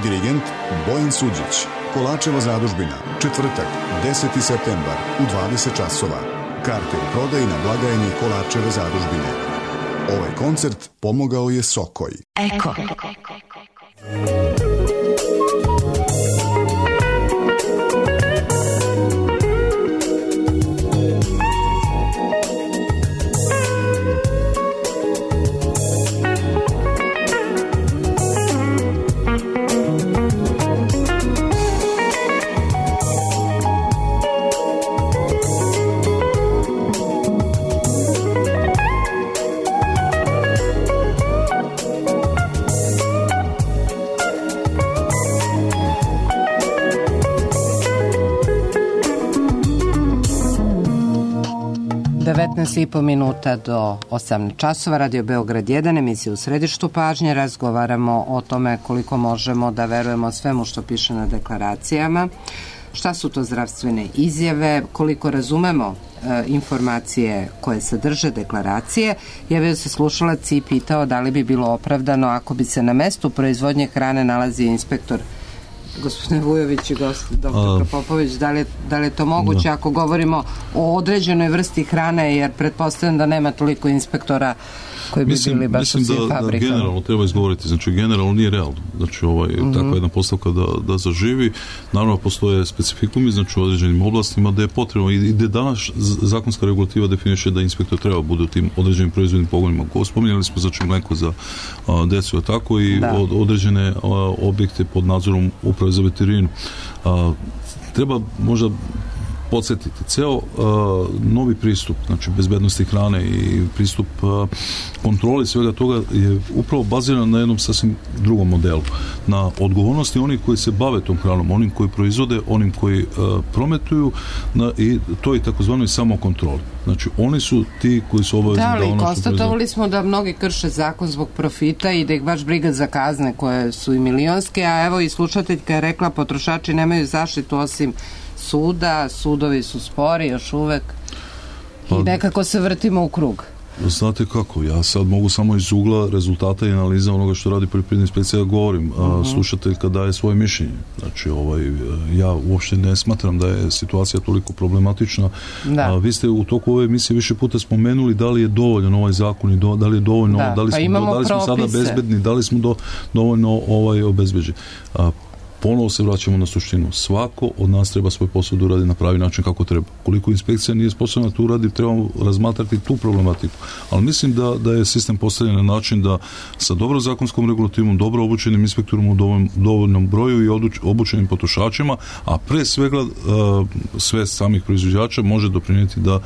Dirigent Bojan Suđić. Kolačeva zadužbina, četvrtak, 10. septembar u 20 časova. Karte u prodaji na blagajni Kolačeve zadužbine. Ovaj koncert pomogao je Sokoj. Eko. I po minuta do 18 časova, Radio Beograd 1, emisija u središtu pažnje. Razgovaramo o tome koliko možemo da verujemo svemu što piše na deklaracijama, šta su to zdravstvene izjave, koliko razumemo informacije koje sadrže deklaracije. Javio se slušalac i pitao da li bi bilo opravdano ako bi se na mestu proizvodnje hrane nalazio inspektor. Gospodine Vujović i doktor Popović, da li je to moguće ako govorimo o određenoj vrsti hrane, jer pretpostavljam da nema toliko inspektora koji bi bili baš u svim fabrikama. Mislim da generalno treba izgovoriti, znači generalno nije realno, znači takva jedna postavka da zaživi. Naravno postoje specifikumi, znači u određenim oblastima da je potrebno i da danas zakonska regulativa definiše da inspektor treba bude u tim određenim proizvodnim pogonima. Spominjali smo znači mleko za decu, tako i određene objekte pod nadzorom Uprave za veterinu. Treba možda podsjetiti, ceo novi pristup, znači bezbednosti hrane i pristup kontroli svega toga je upravo baziran na jednom sasvim drugom modelu. Na odgovornosti onih koji se bave tom hranom, onim koji proizvode, onim koji prometuju i to je takozvanoj samokontroli. Znači, oni su ti koji su obavezni da ono što proizvode. Da, ali konstatovali smo da mnogi krše zakon zbog profita i da ih baš briga za kazne koje su i milionske, a evo i slušateljka je rekla potrošači nemaju zaštitu osim suda, sudovi su spori još uvek i nekako se vrtimo u krug. Znate kako, ja sad mogu samo iz ugla rezultata i analiza onoga što radi poljoprivredna inspekcija da govorim. Slušateljka daje svoje mišljenje. Znači, ja uopšte ne smatram da je situacija toliko problematična. Vi ste u toku ove emisije više puta spomenuli da li je dovoljan ovaj zakon i da li je dovoljno, da li smo sada bezbedni, da li smo dovoljno obezbeđeni. Ponovo se vraćamo na suštinu. Svako od nas treba svoj posao da uradi na pravi način kako treba. Koliko inspekcija nije sposobna to uradi, trebamo razmatrati tu problematiku. Ali mislim da je sistem postavljen na način da sa dobro zakonskom regulativom, dobro obučenim inspektorom u dovoljnom broju i obučenim potrošačima, a pre svega sve samih proizvođača može doprinijeti da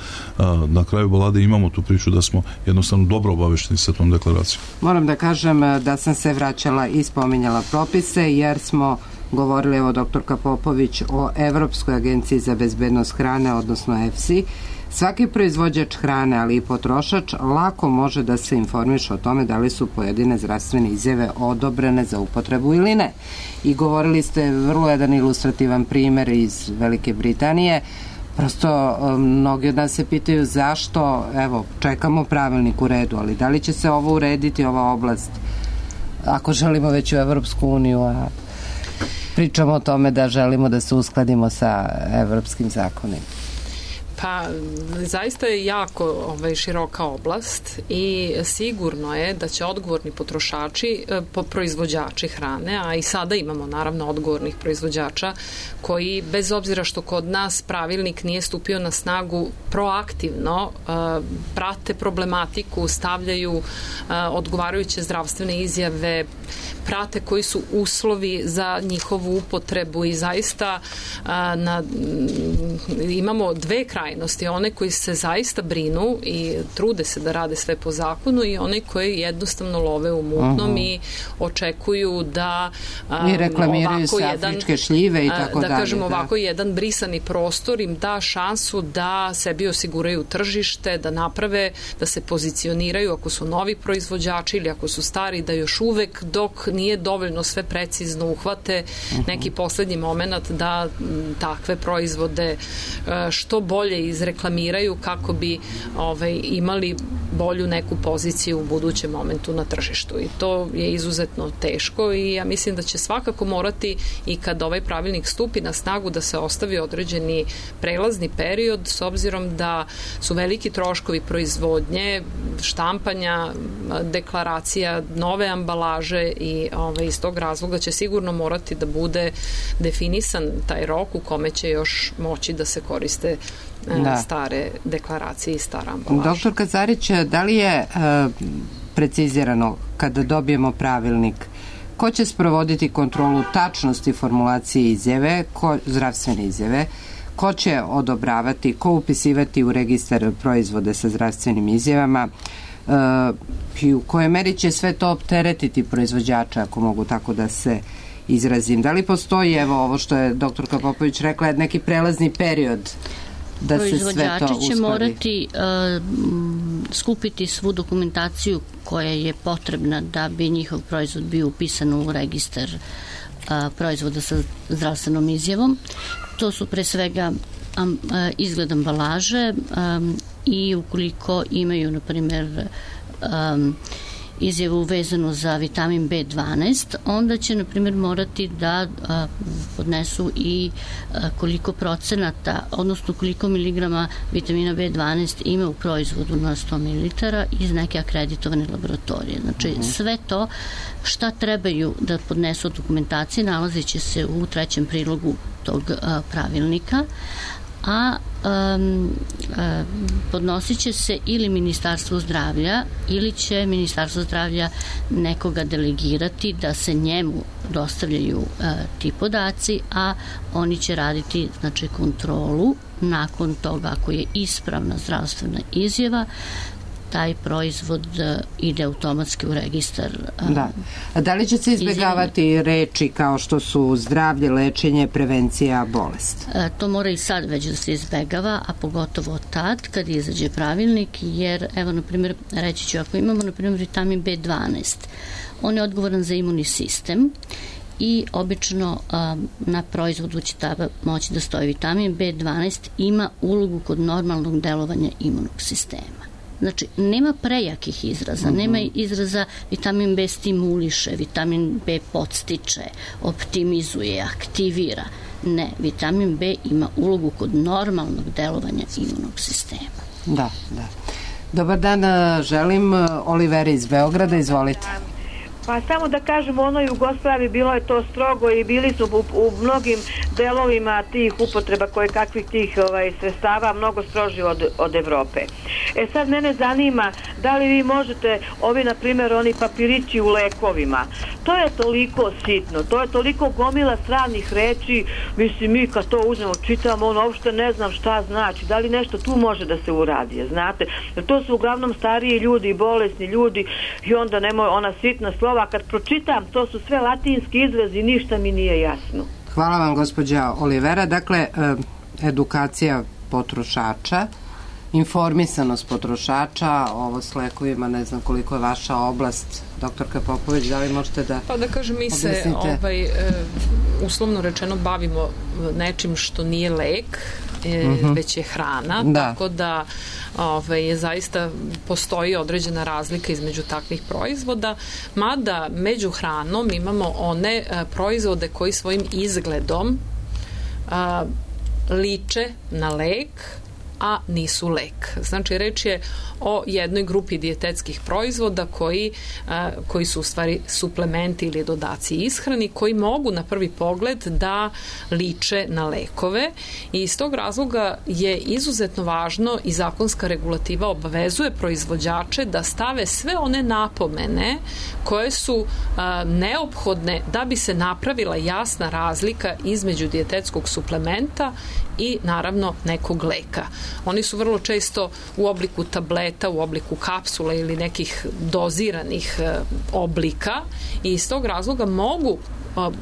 na kraju balade imamo tu priču da smo jednostavno dobro obavešteni sa tom deklaracijom. Moram da kažem da sam se vraćala i spominjala propise, jer smo govorili, evo doktorka Popović, o Evropskoj agenciji za bezbednost hrane, odnosno EFSI. Svaki proizvođač hrane, ali i potrošač, lako može da se informiše o tome da li su pojedine zdravstvene izjave odobrene za upotrebu ili ne. I govorili ste vrlo jedan ilustrativan primer iz Velike Britanije. Prosto mnogi od nas se pitaju zašto, evo, čekamo pravilnik u redu, ali da li će se ovo urediti, ova oblast, ako želimo već u Evropsku uniju, a pričamo o tome da želimo da se uskladimo sa evropskim zakonima. Pa, zaista je jako široka oblast i sigurno je da će odgovorni potrošači, proizvođači hrane, a i sada imamo naravno odgovornih proizvođača koji, bez obzira što kod nas pravilnik nije stupio na snagu, proaktivno prate problematiku, stavljaju odgovarajuće zdravstvene izjave, prate koji su uslovi za njihovu upotrebu i zaista imamo dve krajnosti. krajnosti, one koji se zaista brinu i trude se da rade sve po zakonu i one koji jednostavno love u mutnom i očekuju da i reklamiraju se afričke šljive i tako dalje. Da kažemo ovako, jedan brisani prostor im da šansu da sebi osiguraju tržište, da naprave, da se pozicioniraju ako su novi proizvođači ili ako su stari, da još uvek dok nije dovoljno sve precizno uhvate neki poslednji moment da takve proizvode što bolje izreklamiraju kako bi imali bolju neku poziciju u budućem momentu na tržištu. I to je izuzetno teško i ja mislim da će svakako morati i kad ovaj pravilnik stupi na snagu da se ostavi određeni prelazni period s obzirom da su veliki troškovi proizvodnje, štampanja, deklaracija, nove ambalaže i iz tog razloga će sigurno morati da bude definisan taj rok u kome će još moći da se koriste stare deklaracije i stara ambalaža. Doktor Kazarić, da li je precizirano kada dobijemo pravilnik ko će sprovoditi kontrolu tačnosti formulacije izjave, zdravstvene izjave, ko će odobravati, ko upisivati u registar proizvode sa zdravstvenim izjavama i u kojoj meri će sve to opteretiti proizvođača, ako mogu tako da se izrazim. Da li postoji, evo ovo što je doktorka Popović rekla, neki prelazni period da se sve to uskladi? Proizvođači će morati skupiti svu dokumentaciju koja je potrebna da bi njihov proizvod bio upisan u registar proizvoda sa zdravstvenom izjavom. To su pre svega izgled ambalaže i ukoliko imaju, na primjer, izjavu vezanu za vitamin B12, onda će, na primjer, morati da podnesu i koliko procenata, odnosno koliko miligrama vitamina B12 ima u proizvodu na 100 ml iz neke akreditovane laboratorije. Znači, sve to šta trebaju da podnesu od dokumentacije nalazit će se u 3. prilogu tog pravilnika, a podnosit će se ili Ministarstvo zdravlja ili će Ministarstvo zdravlja nekoga delegirati da se njemu dostavljaju ti podaci, a oni će raditi, znači, kontrolu nakon toga ako je ispravna zdravstvena izjava, taj proizvod ide automatski u registar. Da li će se izbjegavati reči kao što su zdravlje, lečenje, prevencija, bolest? To mora i sad već da se izbjegava, a pogotovo tad kad izađe pravilnik, jer, evo, na primjer, reći ću, ako imamo, na primjer, vitamin B12, on je odgovoran za imunni sistem i obično na proizvodu će tada moći da stoji vitamin B12 ima ulogu kod normalnog delovanja imunog sistema. Znači, nema prejakih izraza, nema izraza vitamin B stimuliše, vitamin B podstiče, optimizuje, aktivira. Ne, vitamin B ima ulogu kod normalnog delovanja imunog sistema. Da. Dobar dan, želim Oliveri iz Beograda, izvolite. Pa samo da kažem, u onoj Jugoslaviji bilo je to strogo i bili su u mnogim delovima tih upotreba koje kakvih tih sredstava mnogo stroži od Evrope. Sad mene zanima da li vi možete, na primjer, oni papirići u lekovima, to je toliko sitno, to je toliko gomila stranih reči, mislim, mi kad to uzmemo, čitamo, uopšte ne znam šta znači, da li nešto tu može da se uradi, znate, to su uglavnom stariji ljudi i bolesni ljudi i onda nemoj ona sitna slova, kad pročitam, to su sve latinski izrazi, ništa mi nije jasno. Hvala vam, gospođa Olivera. Dakle, edukacija potrošača, informisanost potrošača, ovo s lekovima, ne znam koliko je vaša oblast, doktorka Popović, da li možete da Pa da kažem, mi se uslovno rečeno bavimo nečim što nije lek, već je hrana, tako da zaista postoji određena razlika između takvih proizvoda, mada među hranom imamo one proizvode koji svojim izgledom liče na lek, a nisu lek. Znači, reč je o jednoj grupi dijetetskih proizvoda koji su u stvari suplementi ili dodaci ishrani, koji mogu na prvi pogled da liče na lekove i iz tog razloga je izuzetno važno i zakonska regulativa obavezuje proizvođače da stave sve one napomene koje su neophodne da bi se napravila jasna razlika između dijetetskog suplementa i naravno nekog leka. oni su vrlo često u obliku tableta, u obliku kapsula ili nekih doziranih oblika i iz tog razloga mogu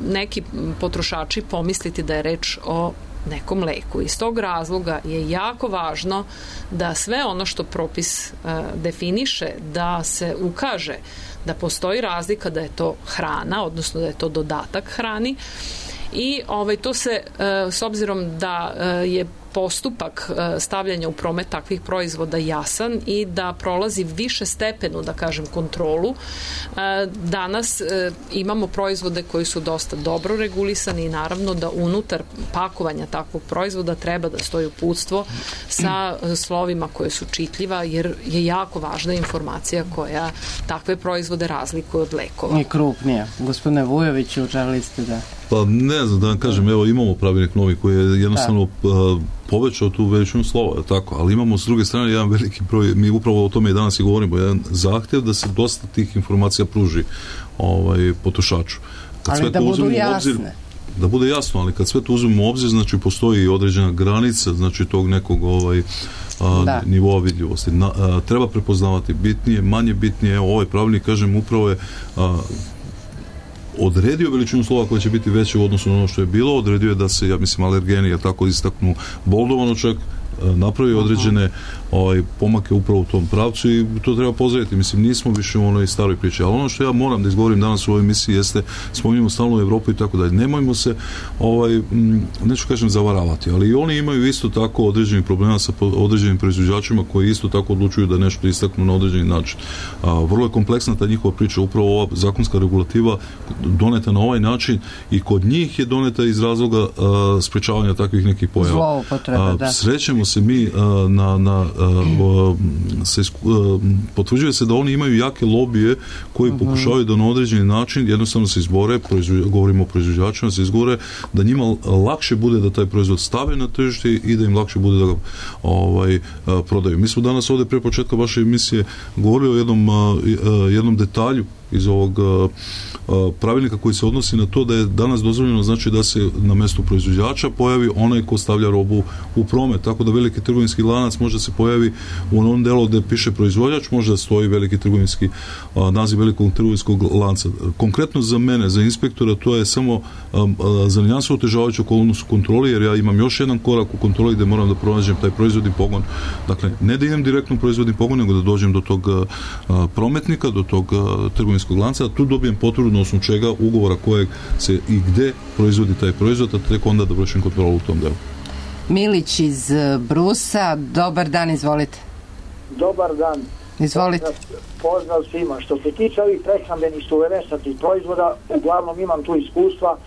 neki potrošači pomisliti da je reč o nekom leku. Iz tog razloga je jako važno da sve ono što propis definiše, da se ukaže da postoji razlika, da je to hrana, odnosno da je to dodatak hrani i to se, s obzirom da je postupak stavljanja u promet takvih proizvoda jasan i da prolazi više stepenu, da kažem, kontrolu. Danas imamo proizvode koji su dosta dobro regulisani i naravno da unutar pakovanja takvog proizvoda treba da stoji uputstvo sa slovima koje su čitljiva, jer je jako važna informacija koja takve proizvode razlikuje od lekova. I krupnija. Gospodine Vujoviću, želili ste da... Pa ne znam da vam kažem, evo imamo pravilnik novi koji je jednostavno povećao tu veličinu slova, tako, ali imamo s druge strane jedan veliki broj, mi upravo o tome i danas i govorimo, jedan zahtjev da se dosta tih informacija pruži potrošaču. Ali da budu jasne. Da bude jasno, ali kad sve to uzmemo u obzir, znači postoji određena granica, znači tog nekog nivoa vidljivosti. Treba prepoznavati bitnije, manje bitnije. Ovaj pravilnik, kažem, upravo je odredio veličinu slova koja će biti veća u odnosu na ono što je bilo, odredio je da se, ja mislim, alergeni, tako istaknu boldovano čak, napravi određene pomake upravo u tom pravcu i to treba pozdraviti. Mislim, nismo više u onoj staroj priči. Ali ono što ja moram da izgovorim danas u ovoj emisiji jeste, spominjamo stalno Evropu i tako dalje. Nemojmo se, neću kažem zavaravati, ali i oni imaju isto tako određenih problema sa određenim proizvođačima koji isto tako odlučuju da nešto istaknu na određeni način. Vrlo je kompleksna ta njihova priča, upravo ova zakonska regulativa doneta na ovaj način i kod njih je doneta iz razloga sprečavanja takvih nekih pojava. Zloupotrebe, da. Srećemo se mi potvrđuje se da oni imaju jake lobije koji pokušavaju da na određeni način jednostavno se izbore, govorimo o proizvođačima, se izbore da njima lakše bude da taj proizvod stave na tržište i da im lakše bude da ga prodaju. Mi smo danas ovdje pre početka vaše emisije govorili o jednom detalju iz ovog pravilnika koji se odnosi na to da je danas dozvoljeno, znači da se na mjestu proizvođača pojavi onaj ko stavlja robu u promet, tako da veliki trgovinski lanac može se pojavi u onom delu gdje piše proizvođač, može da stoji veliki trgovinski naziv velikog trgovinskog lanca. Konkretno za mene, za inspektora, to je samo za nijansu otežavajuću okolnost kontroli, jer ja imam još jedan korak u kontroli gdje moram da pronađem taj proizvodni pogon. Dakle, ne da idem direktno u proizvodni pogon, nego da dođem do tog prometnika, do tog trgovinskog lanca, a tu dobijem potvrdu na osnovu čega, ugovora kojeg se i gde proizvodi taj proizvod, a tek onda da vršim kontrolu u tom delu. Milić iz Brusa, dobar dan, izvolite. Dobar dan. Izvolite. Pozdrav svima. Što se tiče ovih prehrambenih suverenstih proizvoda, uglavnom imam tu iskustva,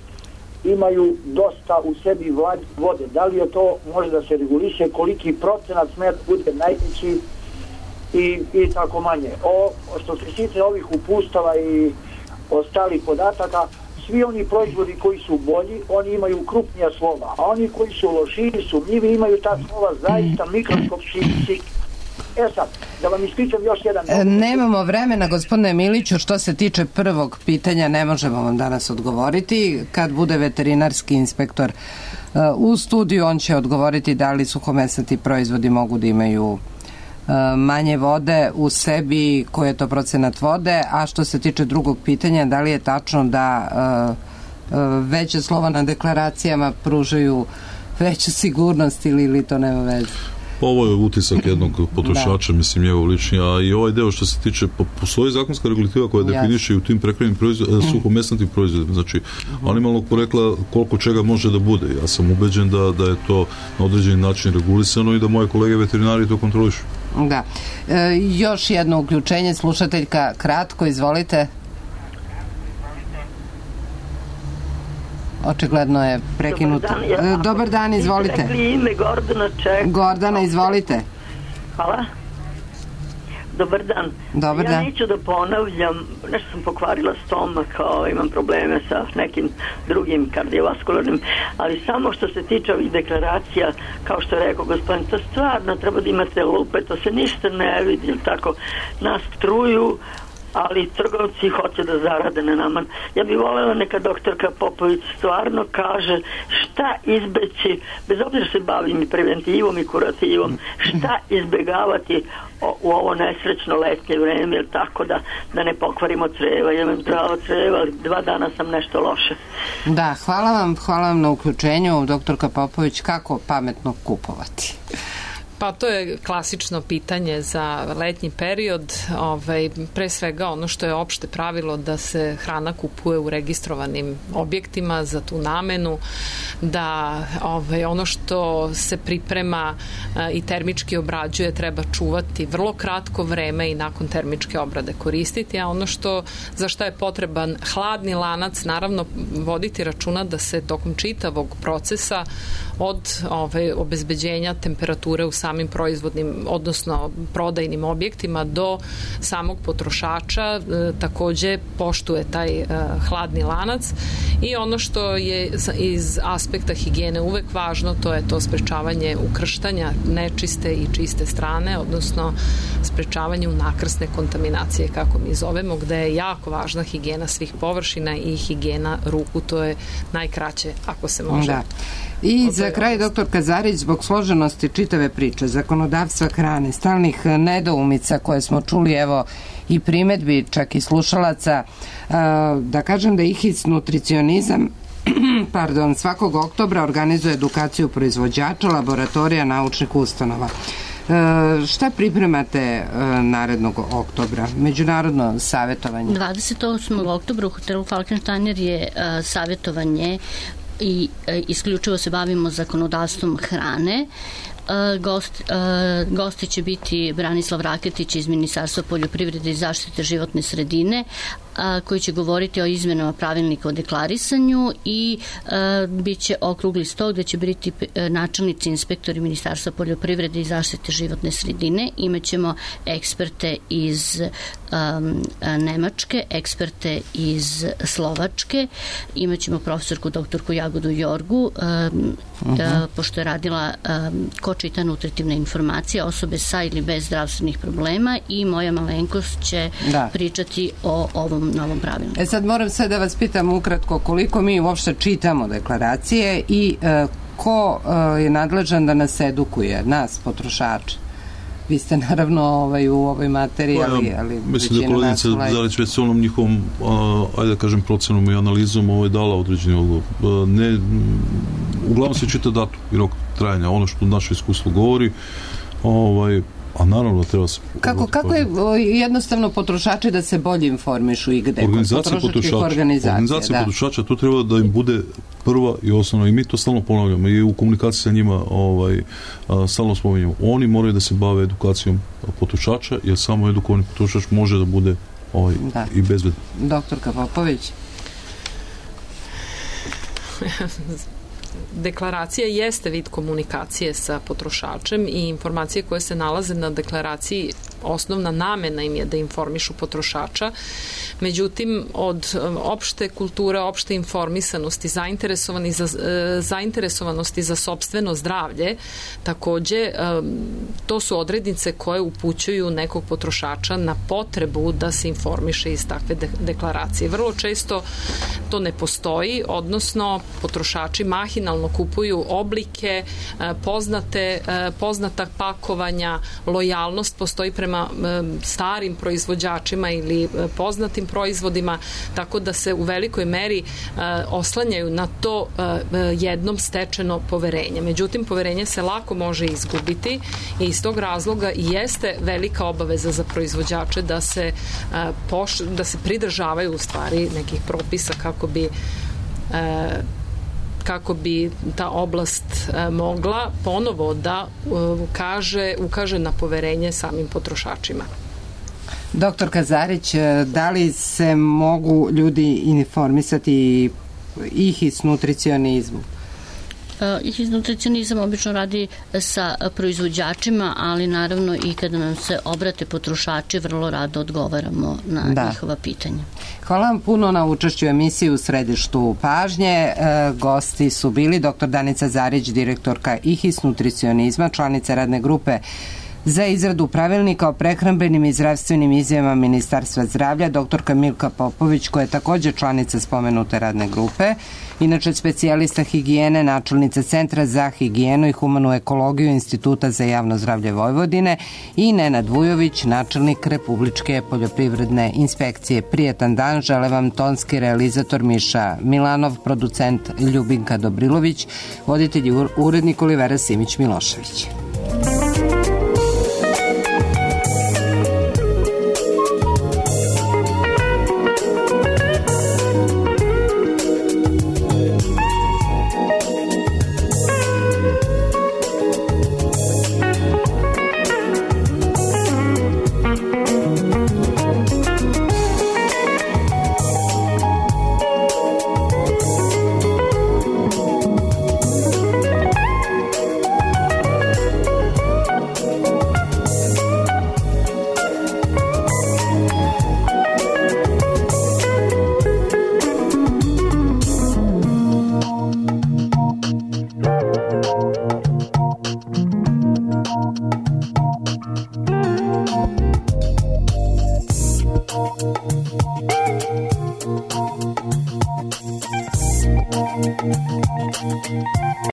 imaju dosta u sebi vode. Da li je to može da se reguliše, koliki procenat sme da bude najveći i tako manje. Što se tiče ovih upustava i ostalih podataka, svi oni proizvodi koji su bolji, oni imaju krupnija slova, a oni koji su lošiji, sumnjivi, imaju ta slova zaista mikroskopski. Sad, da vam ispričam još jedan... Nemamo vremena, gospodine Miliću, što se tiče prvog pitanja, ne možemo vam danas odgovoriti. Kad bude veterinarski inspektor u studiju, on će odgovoriti da li suhomesnati proizvodi mogu da imaju manje vode u sebi, koji je to procenat vode, a što se tiče drugog pitanja, da li je tačno da veće slova na deklaracijama pružaju veću sigurnost ili to nema veze? Ovo je utisak jednog potrošača, mislim, njegov lični, a i ovaj deo što se tiče, postoji zakonska regulativa koja definiše i u tim prekrajnim suhomesnatim proizvodima, znači animalnog porekla koliko čega može da bude. Ja sam ubeđen da je to na određeni način regulisano i da moje kolege veterinari to kontrolišu. Da. Još jedno uključenje, slušateljka, kratko, izvolite. Očigledno je prekinuto. Dobar dan, izvolite. Gordana čeka. Gordana, izvolite. Hvala. Dobar dan. Dobar dan. Ja neću da ponavljam, nešto sam pokvarila stomak, imam probleme sa nekim drugim kardiovaskularnim, ali samo što se tiče ovih deklaracija, kao što je rekao gospodin, to stvarno treba da imate lupe, to se ništa ne vidi, tako nas truju ali trgovci hoće da zarade na nama. Ja bih voljela neka doktorka Popović stvarno kaže šta izbeći, bez obzira se bavim i preventivom i kurativom, šta izbegavati u ovo nesrećno letnje vreme, jer tako da ne pokvarimo creva. Ja imam zdravo creva, ali 2 dana sam nešto loše. Da, hvala vam na uključenju, doktorka Popović, kako pametno kupovati? Pa to je klasično pitanje za letnji period. Pre svega ono što je opšte pravilo da se hrana kupuje u registrovanim objektima za tu namenu, da ono što se priprema i termički obrađuje treba čuvati vrlo kratko vreme i nakon termičke obrade koristiti, a ono za šta je potreban hladni lanac, naravno voditi računa da se tokom čitavog procesa od obezbeđenja temperature u samim proizvodnim, odnosno prodajnim objektima do samog potrošača takođe poštuje taj hladni lanac. I ono što je iz aspekta higijene uvek važno, to je to sprečavanje ukrštanja nečiste i čiste strane, odnosno sprečavanje unakrsne kontaminacije, kako mi zovemo, gde je jako važna higijena svih površina i higijena ruku, to je najkraće ako se može. Da. I za kraj, doktor Kazarić, zbog složenosti čitave priče, zakonodavstva hrane, stalnih nedoumica koje smo čuli, evo i primetbi čak i slušalaca, da kažem da IHIS nutricionizam svakog oktobra organizuje edukaciju proizvođača, laboratorija, naučnih ustanova. Šta pripremate narednog oktobra? Međunarodno savjetovanje? 28. oktobra u hotelu Falkensteiner je savjetovanje i isključivo se bavimo zakonodavstvom hrane. Gosti će biti Branislav Raketić iz Ministarstva poljoprivrede i zaštite životne sredine, koji će govoriti o izmenama pravilnika o deklarisanju i bit će okrugli sto gde će biti načelnici inspektori Ministarstva poljoprivrede i zaštite životne sredine. Imaćemo eksperte iz Nemačke, eksperte iz Slovačke, imaćemo profesorku doktorku Jagodu Jorgu, pošto je radila ko čita nutritivne informacije, osobe sa ili bez zdravstvenih problema, i moja malenkost će pričati o ovom novom pravilniku. Sad moram sve da vas pitam ukratko koliko mi uopšte čitamo deklaracije i ko je nadležan da nas edukuje, nas, potrošače? Vi ste naravno u ovoj materiji, ali mislim da je kolegica Zarić već s onom njihovom, ajde da kažem, procenom i analizom dala određeni odgovor. Uglavnom se čita datum i rok trajanja, ono što naše iskustvo govori, a naravno treba se... Kako je jednostavno potrošači da se bolje informišu i gde? Organizacija potrošača, to treba da im bude prva i osnovna, i mi to stalno ponavljamo i u komunikaciji sa njima stalno spominjamo. Oni moraju da se bave edukacijom potrošača, jer samo edukovani potrošač može da bude i bezbedan. Doktorka Popović. Deklaracija jeste vid komunikacije sa potrošačem i informacije koje se nalaze na deklaraciji, osnovna namena im je da informišu potrošača. Međutim, od opšte kulture, opšte informisanosti, zainteresovanosti za sopstveno zdravlje, takođe, to su odrednice koje upućuju nekog potrošača na potrebu da se informiše iz takve deklaracije. Vrlo često to ne postoji, odnosno potrošači mahinalno kupuju oblike, poznata pakovanja, lojalnost postoji prema starim proizvođačima ili poznatim proizvodima, tako da se u velikoj meri oslanjaju na to jednom stečeno poverenje. Međutim, poverenje se lako može izgubiti i iz tog razloga jeste velika obaveza za proizvođače da se pridržavaju u stvari nekih propisa kako bi ta oblast mogla ponovo da ukaže na poverenje samim potrošačima. Doktor Kazarić, da li se mogu ljudi informisati IHIS nutricionizmu? IHIS nutricionizam obično radi sa proizvođačima, ali naravno i kada nam se obrate potrošači, vrlo rado odgovaramo na njihova pitanja. Hvala vam puno na učešću u emisiji U središtu pažnje. Gosti su bili dr. Danica Zarić, direktorka IHIS nutricionizma, članica radne grupe za izradu pravilnika o prehrambenim i zdravstvenim izjavama Ministarstva zdravlja, doktorka Milka Popović, koja je takođe članica spomenute radne grupe, inače specijalista higijene, načelnica Centra za higijenu i humanu ekologiju Instituta za javno zdravlje Vojvodine, i Nenad Vujović, načelnik Republičke poljoprivredne inspekcije. Prijetan dan, žele vam tonski realizator Miša Milanov, producent Ljubinka Dobrilović, voditelj i urednik Olivera Simić-Milošević.